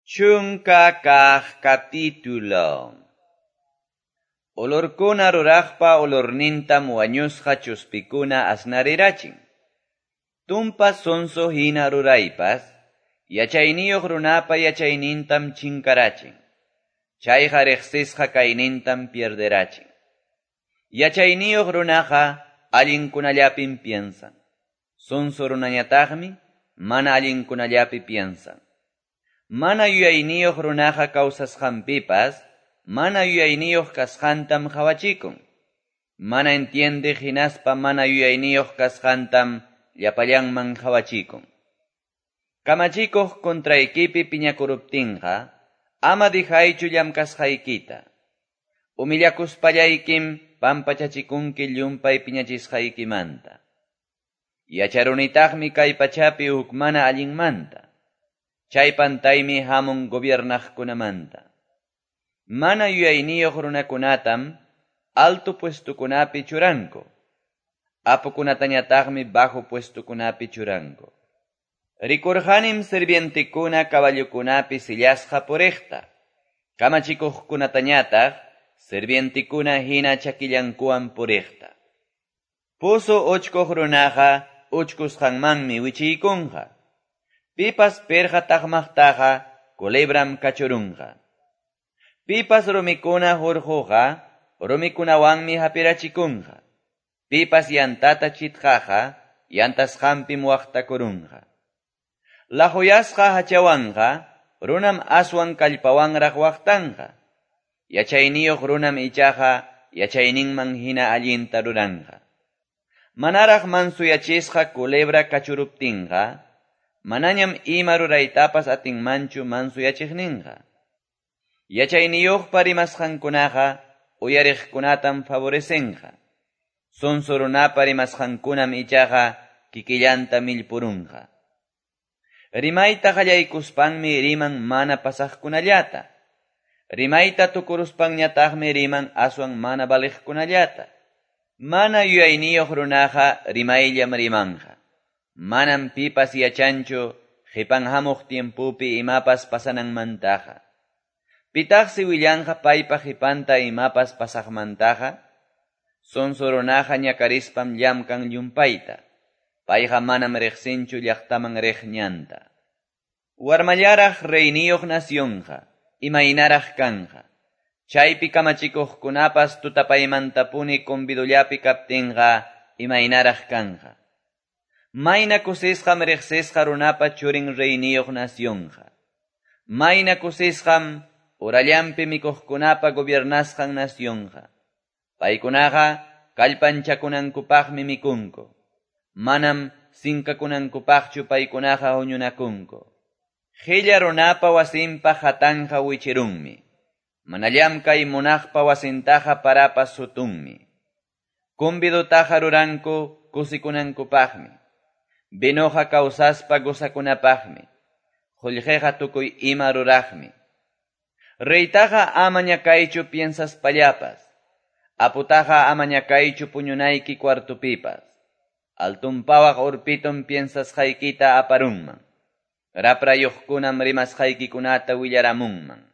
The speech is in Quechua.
10 kaq capítulo. Olorkuna ruraqpa olornintam wañusqa chuspikuna asnarirachin. Tumpa sonso hina ruraypas, yachayniyuq runapa yachaynintam chinkarachin. Chayqa riqsisqa kaynintam pierderachin. Yachayniyuq runaqa allinkunallapim piensan. Sonso runañataqmi mana allinkunallapi piensan. Mana yuyayniyuq runaqa kawsasqanpipas, mana yuyayniyuq kasqantam qawachikun. Mana entiendiq hinaspa mana yuyayniyuq kasqantam llapallanman qawachikun. Kamachikuq contraykipi piñakuruptinqa, ama dejaychu llamkasqaykita. Humillakuspallaykim pampachachikunki llumpay piñachisqaykimanta. Yacharunitaqmi kay pachapi huk mana allinmanta. Chay pantaymi hamun gobiernaqkunamanta. Mana yuyayniyuq runakunatam alto puestokunapi churanku. Apukunatañataqmi bajo puestokunapi churanku. Rikurqanim sirvientekuna caballokunapi sillasqa puriqta. Kamachikuqkunatañataq sirvientekuna hina chakillankuwan puriqta. Pozo uchkuq runaqa uchkusqanmanmi wichiykunqa. Pipas pirqa taqmaqtaqa culebram kachurunqa. Pipas rumikuna hurquqa rumikunawanmi hapirachikunqa. Pipas yantata chitqaqa yantasqanpim waqtakurunqa. Laquyasqa hachawanqa runam aswan kallpawanraq waqtanqa. Yachayniyuq runam ichaqa yachayninman hina allinta ruranqa. Manaraq mansuyachisqa culebra kachuruptinqa, manañam ima ruraytapas atinmanchu mansuyachiqninqa. Yachayniyuqpa rimasqankunaqa uyariqkunatam favorecenqa. Sonso runapa rimasqankunam ichaqa kikillanta millpurunqa. Rimayta qallaykuspanmi riman mana pasaqkunallata. Rimayta tukuruspanñataqmi riman aswan mana valiqkunallata. Mana yuyayniyuq runaqa rimayllam rimanqa. Manam pipas yachanchu qipan hamuq tiempopi imapas pasananmantaqa. Pitaqsi willanqa paypa qipanta imapas pasaqmantaqa? Sonso runaqa ñakarispam llamkan llumpayta. Payqa manam riqsinchu llaqtaman riq ñanta. Warmallaraq reyniyuq nacionqa, imaynaraq kanqa. Chaypi kamachikuqkunapas tutapaymantapuni convidollapi kaptinqa, imaynaraq kanqa. Mayna kusisqam riqsisqa runapa churin reyniyuq nacionqa. Mayna kusisqam urallampi mikuqkunapa gobiernasqan nacionqa. Paykunaqa kallpanchakunankupaqmi mikunku. Manam sinkakunankupaqchu paykunaqa huñunakunku. Qilla runapa wasinpa hatanqa wichirunmi. Mana llamkay munaqpa wasintaqa parapas sutunmi. Convidotaqa ruranku kusikunankupaqmi. Vinoqa kawsaspa gozakunapaqmi. Qullqiqa tukuy ima ruraqmi. Reytaqa ama ñakaychu piensaspallapas. Aputaqa ama ñakaychu puñunayki cuartopipas. Altunpawaq urpitum piensasqaykita aparunman. Raprayuqkunam rimasqaykikunata willaramunman.